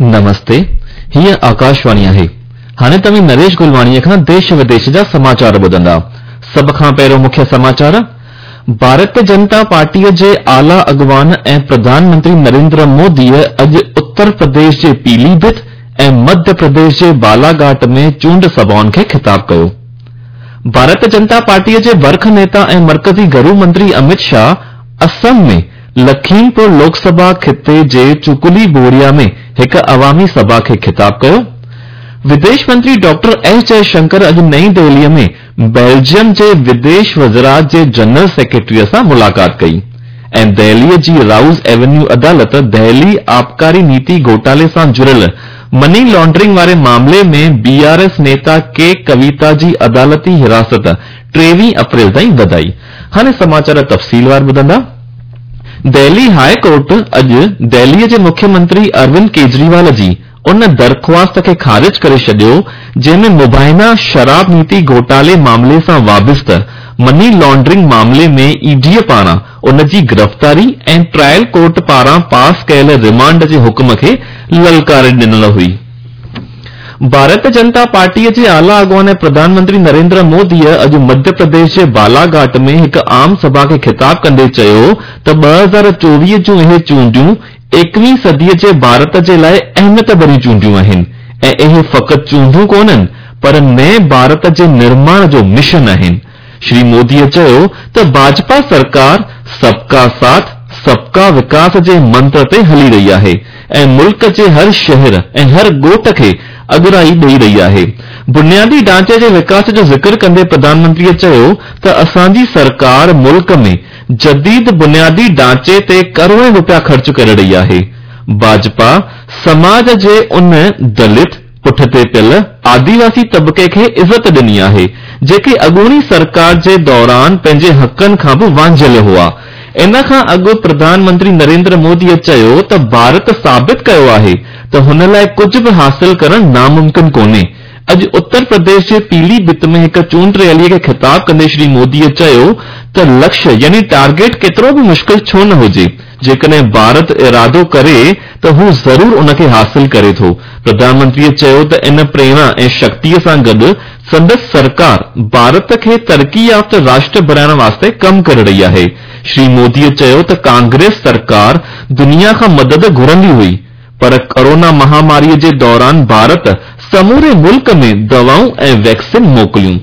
نمستي، هيء آڪاشواڻي آهي. هاڻي توهين نريش گلواڻيء کان ديش وديش جا سماچار ٻڌندا. سڀ کان پهريون مکيه سماچار، ڀارتيه جنتا پارٽيء جي اعليٰ اڳواڻ ۽ پرڌان منتري نريندر موديء اڄ اتر پرديش جي پيلي ڀت ۽ مڌيه پرديش جي بالاگهاٽ ۾ چونڊ سڀائن کي خطاب ڪيو. ڀارتيه جنتا پارٽيء جي برک نيتا ۽ مرڪزي گهرو منتري امت شاهه اسم ۾ لکيمپور لوڪ سڀا خطي جي چڪلي بوريا ۾ هڪ عوامي سڀا کي خطاب ڪيو. وديش منتري ڊاڪٽر ايس جئه شنڪر اڄ نئين دهليء ۾ بيلجيم جي وديش وزارت جي جنرل سيڪريٽريء سان ملاقات ڪئي ۽ دهليء جي رائوز ايونيو عدالت دهلي آبڪاري نيتي گهوٽالي سان جڙيل مني لانڊرنگ واري معاملي ۾ بي آر ايس نيتا ڪي ڪويتا جي عدالتي حراست 23 اپريل تائين وڌائي. هاڻي سماچار تفصيلوار ٻڌندا. دهلي هاء ڪورٽ اڄ دهليء جي مکيه منتري اروند ڪيجريوال جي ان درخواست کي خارج ڪري ڇڏيو جنهن ۾ مبينا شراب نيتي گهوٽالي معاملي سان وابسته مني لانڊرنگ معاملي ۾ اي ڊي پاران ان جي گرفتاري ۽ ٽرائل ڪورٽ پاران پاس ڪيل رمانڊ جي حڪم کي للڪاري ڏنل هئي. ڀارتيه جنتا پارٽيء جي اعليٰ اڳواڻ ۽ پرڌان منتري نريندر موديء اڄ مڌيه پرديش جي بالاگهاٽ ۾ هڪ عام سڀا کي خطاب ڪندي چيو ته 2024 جون اهي چونڊيون ايڪويهين صديء جي ڀارت جي لاء اهميت ڀريون چونڊيون آهن ۽ اهي فقط چونڊون ڪونهن پر نئين ڀارت جي نرماڻ جو مشن آهن. شري موديء چيو ته ڀاجپا سرڪار سب ڪا ساٿ، سب ڪا وڪاس جي منتر تي هلي رهي آهي ۽ ملڪ جي هر شهر ۽ هر ڳوٺ کي اڳرائي ڏئي رهي آهي. بنيادي ڍانچي جي وڪاس جو ذڪر ڪندي پرڌان منتريء چيو ته اسان جي سرڪار ملڪ ۾ جديد بنيادي ڍانچي تي ڪروڙين روپيا خرچ ڪري رهي آهي. ڀاجپا سماج جي ان دلت، پٺتي پيل آديواسي طبقي کي عزت ڏني آهي، جيڪي اڳوڻي سرڪار جي دوران پنهنجي حقن کان به وانجهيل هئا. ان کان اڳ پرڌان منتري نريندر موديء چيو ته ڀارت ثابت ڪيو آهي ته هن لاء ڪجهه به حاصل ڪرڻ ناممڪن ڪونهي. اڄ اتر پرديش جي پيلي ڀت ۾ هڪ چونڊ ريليء کي خطاب ڪندي شري موديء چيو ته لڪشيه يعني ٽارگيٽ ڪيترو به مشڪل ڇو نه هجي، جيڪڏهن ڀارت ارادو ڪري ته هو ضرور ان کي حاصل ڪري ٿو. پرڌان منتريء چيو ته ان پريرڻا ۽ شڪتيء سان گڏ سندس سرڪار ڀارت کي ترقي يافته راشٽر بڻائڻ واسطي ڪم ڪري رهي آهي. شري موديء چيو ته ڪانگريس سرڪار دنيا کان مدد گهرندي هئي پر ڪورونا مهاماريء جي دوران ڀارت سموري ملڪ ۾ دوائون ۽ ويڪسين موڪليون.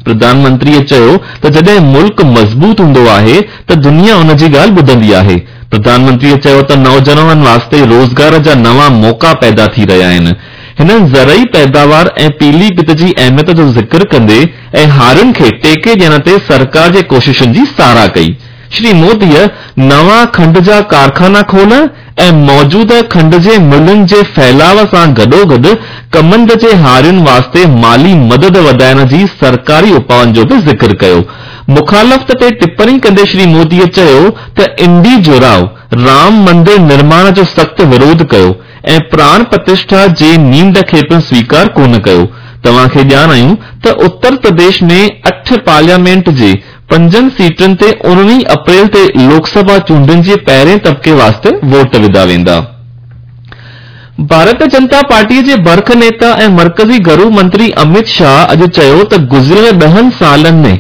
پرڌان منتريء چيو ته جڏهن ملڪ مضبوط هوندو آهي ته دنيا ان جي ڳالهه ٻڌندي آهي. پرڌان منتريء چيو ته نوجوانن واسطي روزگار جا نوان موقعا پيدا ٿي رهيا آهن. هنن زرعي پيداوار ۽ پيلي ڀت جي اهميت جو ذڪر ڪندي ۽ هارين کي ٽيڪي ڏيڻ تي سرڪار جي ڪوششن جي ساراهه ڪئي. شري موديء نوان کنڊ جا ڪارخانا کولڻ ۽ موجوده کنڊ جي ملن جي ڦهلاء سان گڏوگڏ ڪمند جي هارين واسطي مالي مدد وڌائڻ جي سرڪاري اپائن جو به ذڪر ڪيو. مخالفت تي ٽپڻي ڪندي شري موديء چيو ته انڊي جوراء رام مندر نرماڻ جو سخت وروڌ ڪيو ۽ پراڻ پرتشٺا جي نينڍ کي پڻ سويڪار ڪونه ڪيو. توهان کي ڄاڻايون ته اتر پرديش ۾ اٺ پارليامينٽ جي پنجن سيٽن تي 19 اپريل تي لوڪ سڀا چونڊن جي پهرين طبقي واسطي ووٽ وڌا ويندا. ڀارتيه جنتا پارٽيء جي برک نيتا ۽ مرڪزي گهرو منتري امت شاهه اڄ چيو ته گذريل ڏهن سالن ۾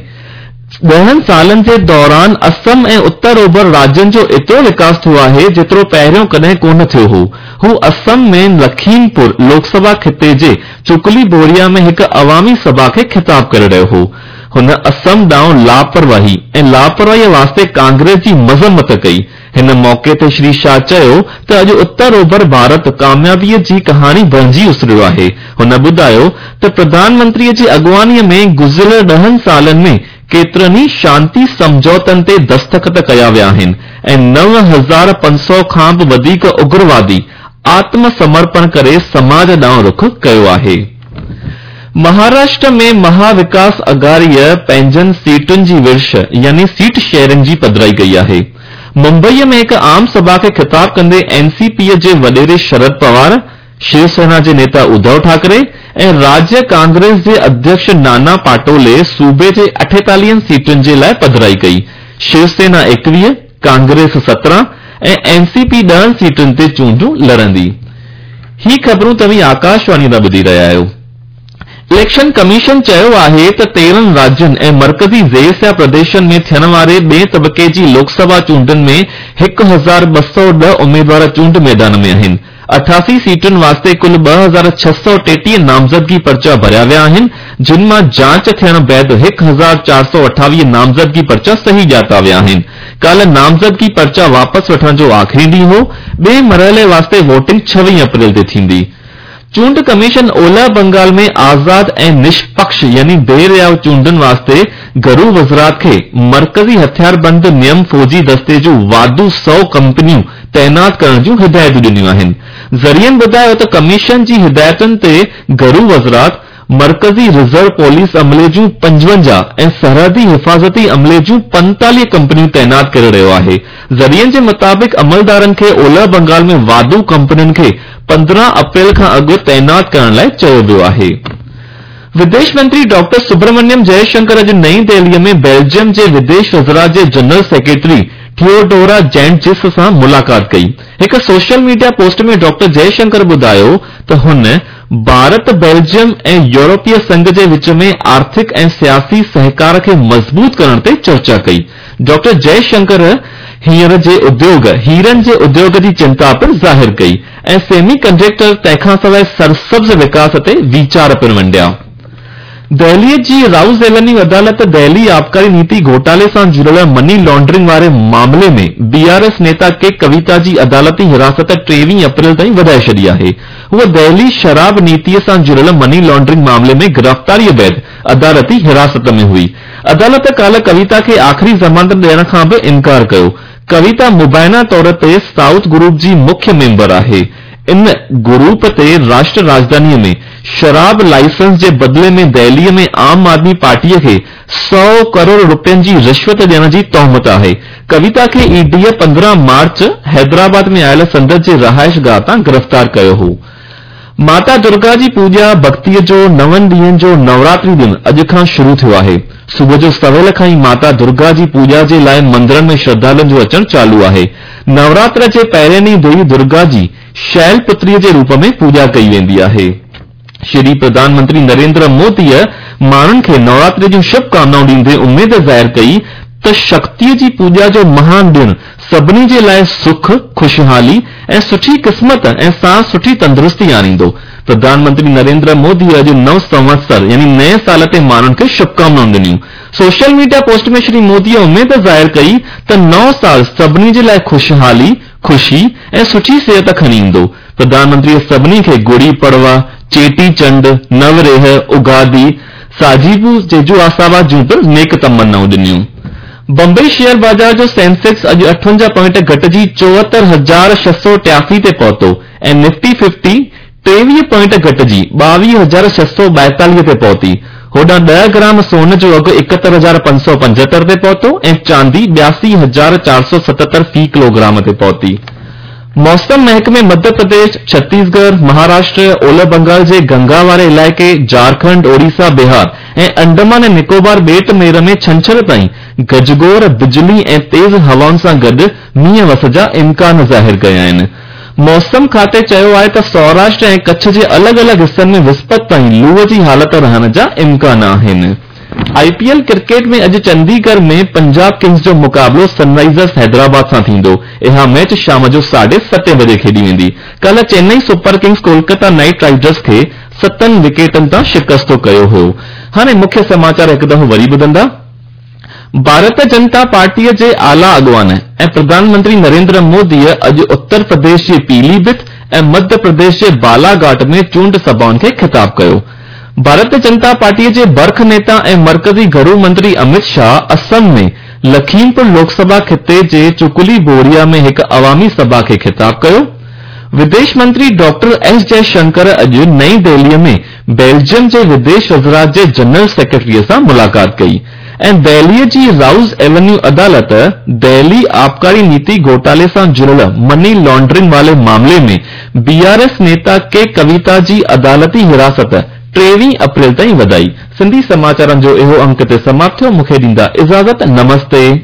ڏهن سالن جي دوران اسم ۽ اتر اوڀر راجين جو ايترو وڪاس ٿيو آهي جيترو پهريون ڪڏهن ڪونه ٿيو هو. هو اسم ۾ لکيمپور لوڪ سڀا خطي جي چڪلي بوريا ۾ هڪ عوامي سڀا کي خطاب ڪري رهيو هو. هن اسم ڏانهن لاپرواهي ۽ لاپرواهيء واسطي ڪانگريس جي مذمت ڪئي. هن موقعي تي شري شاهه چيو ته اڄ اتر اوڀر ڀارت ڪاميابيء جي ڪهاڻي بڻجي اسريو آهي. هن ٻڌايو ته پرڌان منتريء جي اڳواڻيء ۾ گذريل ڏهن سالن ۾ ڪيترن ئي شانتي سمجهوتن تي دستخط ڪيا ويا آهن ۽ 9500 کان به وڌيڪ اگروادي آتم سمرپڻ ڪري سماج ڏانهن رخ ڪيو آهي. مهاراشٽر ۾ مها وڪاس اگهاڙيء پنهنجن سيٽن جي ورڇ يعني سيٽ شيئرنگ جي پڌرائي ڪئي آهي. ممبئيء ۾ هڪ عام سڀا کي خطاب ڪندي اين سي پيء جي وڏيري شرد پوار، شو سينا جي نيتا اڌو ٺاڪري ۽ راجيه ڪانگريس جي اڌيڪش نانا پاٽولي صوبي جي اٺيتاليهن سيٽن جي لاء پڌرائي ڪئي. شو سينا ايڪويهه، ڪانگريس 17 ۽ اين سي پي ڏهن سيٽن تي چونڊون لڙندي. هي خبرون توهين آڪاشواڻي تان ٻڌي رهيا آهيو. اليڪشن ڪميشن چيو آهي ته 13 راجين ۽ مرڪزي زير سيا پرديشن ۾ ٿيڻ واري ٻئين طبقي جي لوڪ سڀا چونڊن ۾ 1210 اميدوار چونڊ ميدان ۾ آهن. 88 سيٽن واسطي ڪل 2633 نامزدگي پرچا ڀريا ويا آهن، جن مان جاچ ٿيڻ بعد 1428 نامزدگي پرچا صحيح ڄاتا ويا آهن. ڪالهه نامزدگي پرچا واپس وٺڻ جو آخري ڏينهن هو. ٻئين مرحلي واسطي ووٽنگ 26 اپريل تي ٿيندي. چونڊ ڪميشن اولهه بنگال ۾ آزاد ۽ نشپڪش يعني بي رياء چونڊن واسطي گهرو وزارت کي مرڪزي هٿياربند نيم فوجي دستي جون واڌو 100 ڪمپنيون تعينات ڪرڻ جون هدايتون ڏنيون آهن. ذريعن ٻڌايو ته ڪميشن جي هدايتن تي گهرو وزارت مرڪزي رزرو پوليس عملي جون 55 ۽ سرحدي حفاظتي عملي جون 45 ڪمپنيون تعينات ڪري رهيو آهي. ذريعن جي مطابق عملدارن کي اولهه بنگال ۾ واڌو ڪمپنين کي 15 اپريل کان اڳ تعينات ڪرڻ لاء چيو ويو آهي. وديش منتري ڊاڪٽر سبرامنيم جئه شنڪر اڄ نئين دهلي ۾ بيلجيم جي وديش وزارت جي جنرل سيڪريٽري ٿيوڊورا جينٽجس سان ملاقات ڪئي. هڪ social media post ۾ doctor Jai Shankar ٻڌايو ته هن ڀارت، بيلجيم ۽ يورپي سنگهه جي وچ ۾ آرٿڪ ۽ سياسي سهڪار کي مضبوط ڪرڻ تي چرچا ڪئي. ڊاڪٽر جئه شنڪر هينئر جي اديوگ هيرن جي اديوگ جي چنتا پڻ ظاهر ڪئي ۽ سيمي ڪنڊڪٽر تنهن کانسواء سرسبز وڪاس تي ويچار پڻ ونڊيا. دهلي جي رائوز ايونيو عدالت دهلي آبڪاري نيتي گهوٽالي سان جڙيل مني لانڊرنگ واري معاملي ۾ بي آر ايس نيتا ڪي ڪويتا جي عدالتي حراست 23 اپريل تائين وڌائي ڇڏي آهي. هوء دهلي شراب نيتي سان جڙيل مني لانڊرنگ معاملي ۾ گرفتاري بعد عدالتي حراست ۾ هئي. عدالت ڪالهه ڪويتا کي آخري ضمانت ڏيڻ کان به انڪار ڪيو. ڪويتا مبينا طور تي سائوٿ گروپ جي مکيه ميمبر آهي. ان گروپ تي راشٽر راڄڌاني ۾ شراب لائسنس جي بدلي ۾ دهلي ۾ عام آدمي پارٽي کي 100 ڪروڙ رپين جي رشوت ڏيڻ جي تهمت آهي. ڪويتا کي اي ڊي 15 مارچ حيدرآباد ۾ آيل سندس جي رهائشگاهه تان گرفتار ڪيو هو. ماتا درگا جي پوڄا ڀڳتيء جو نون ڏينهن جو نوراتري ڏڻ اڄ کان شروع ٿيو آهي. صبح جو سويل کان ئي ماتا درگا جي پوڄا جي لاء مندرن ۾ شرڌالن جو اچڻ چالو آهي. نوراتر جي پهرين ڏينهن ديوي درگا جي شيل پتريء جي روپ ۾ پوڄا ڪئي ويندي آهي. شري پرڌان منتري نريندر موديء ماڻهن کي نوراتري جون شڀ ڪامنائون ڏيندي اميد ظاهر ڪئي ته شڪتيء جي پوڄا جو مهان ڏڻ سڀني جي لاء سک، خوشحالي ۽ سٺي قسمت ۽ ساڻ سٺي تندرستي آڻيندو. پرڌان منتري نريندر موديء اڄ نو سنوتسر يعني نئين سال تي ماڻهن کي شڀڪامنائون ڏنيون. سوشل ميڊيا پوسٽ ۾ شري موديء اميد ظاهر ڪئي ته نئون سال سڀني جي لاء خوشحالي، خوشي ۽ سٺي صحت کڻي ايندو. پرڌان منتريء سڀني کي گڙي پڙوا، چيٽي چنڊ، نوريهه، اگادي، ساجيبو جيجو آساوا جون پڻ نيڪ تمنائون ڏنيون. بمبئي شيئر بازار جو سينسيڪس اڄ 58 پوائنٽ گهٽجي 74683 تي پهتو ۽ نفٽي ففٽي 23 پوائنٽ گهٽجي 22642 تي پهتي. هوڏانهن 10 گرام سون جو اگهه 71575 تي پهتو ۽ چاندي 82477 في ڪلوگرام تي پهتي. موسم محڪمي مڌيه پرديش، ڇتيسڳڙهه، مهاراشٽر، اولهه بنگال جي گنگا واري علائقي، جهارکنڊ، اوڙيسا، بهار ۽ انڊمان ۽ نڪوبار ٻيٽ مير ۾ ڇنڇر تائين گجگوڙ، بجلي ۽ تيز هوائن سان گڏ مينهن وس جا امڪان ظاهر ڪيا آهن. موسم کاتي چيو آهي ته سوراشٽر ۽ ڪڇ جي الڳ الڳ حصن ۾ وسپت تائين لوء جي حالت رهڻ جا امڪان آهن. آء پي ايل ڪرڪيٽ ۾ اڄ چنديڳڙهه ۾ پنجاب ڪنگز جو مقابلو سن رائيزرز حيدرآباد سان ٿيندو. اها ميچ شام جو ساڍي ستين بجي کيڏي ويندي. ڪالهه Chennai super kings Kolkata knight riders کي ستن وڪيٽن تان شڪست ڪيو هو. هاڻي مکيه سماچار هڪ دفعو وري ٻڌندا. ڀارت جنتا پارٽيء جي اعليٰ اڳواڻ ۽ پرڌان منتري نريندر موديء اڄ اتر پرديش جي پيلي ڀت ۽ مڌيه پرديش جي بالاگهاٽ ۾ چونڊ سڀائن کي خطاب ڪيو. ڀارت جنتا پارٽيء جي برک نيتا ۽ مرڪزي گهرو منتري امت شاهه اسم ۾ لکيمپور لوڪ سڀا خطي جي چڪلي بوريا ۾ هڪ عوامي سڀا کي خطاب ڪيو. وديش منتري ڊاڪٽر ايس جئه شنڪر اڄ نئين دهليء ۾ بيلجيم جي وديش وزارت جي جنرل سيڪريٽريء سان ملاقات ڪئي ۽ دهليء جي رائوز ايونيو عدالت دهلي آبڪاري نيتي گهوٽالي سان جڙيل مني لانڊرنگ واري معاملي ۾ بي آر ايس نيتا ڪي ڪويتا جي عدالتي حراست 23 اپريل تائين وڌائي. سنڌي سماچارن جو اهو انڪ هتي سماپت ٿيو. مون کي ڏيندا اجازت. نمستي.